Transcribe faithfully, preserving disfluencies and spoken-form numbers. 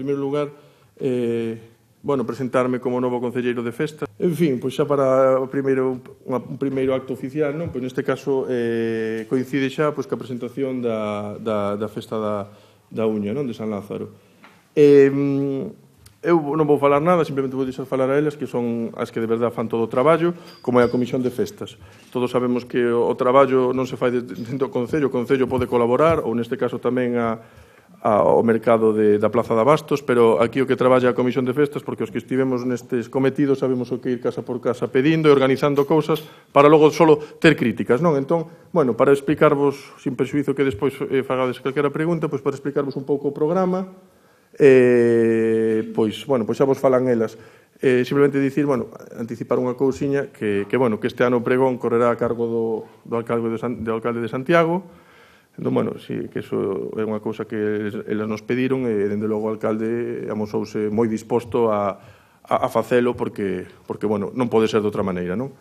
En primeiro lugar, eh, bueno, presentarme como novo concelleiro de festas. En fin, pois xa para o primeiro, un primeiro acto oficial, non? Pois neste caso eh, coincide xa pois, ca presentación da, da, da festa da, da Uña, non? De San Lázaro. Eh, eu non vou falar nada, simplemente vou deixar falar a elas, que son as que de verdade fan todo o traballo, como é a Comisión de Festas. Todos sabemos que o traballo non se fai dentro do Concello, o Concello pode colaborar, ou neste caso tamén a ao mercado de, da Plaza de Abastos, pero aquí o que traballa a Comisión de Festas, porque os que estivemos nestes cometidos sabemos o que ir casa por casa pedindo e organizando cousas para logo solo ter críticas, non? Entón, bueno, para explicarvos, sin perxuizo que despois eh, fagades calquera pregunta, pois para explicarvos un pouco o programa, eh, pois, bueno, pois xa vos falan elas. Eh, simplemente dicir, bueno, anticipar unha cousiña que, que, bueno, que este ano o pregón correrá a cargo do, do, alcalde, de San, do alcalde de Santiago. Entón, bueno, sí, que iso é unha cousa que eles nos pediron e, dende logo, o alcalde amosouse moi disposto a, a, a facelo porque, porque, bueno, non pode ser de outra maneira, non?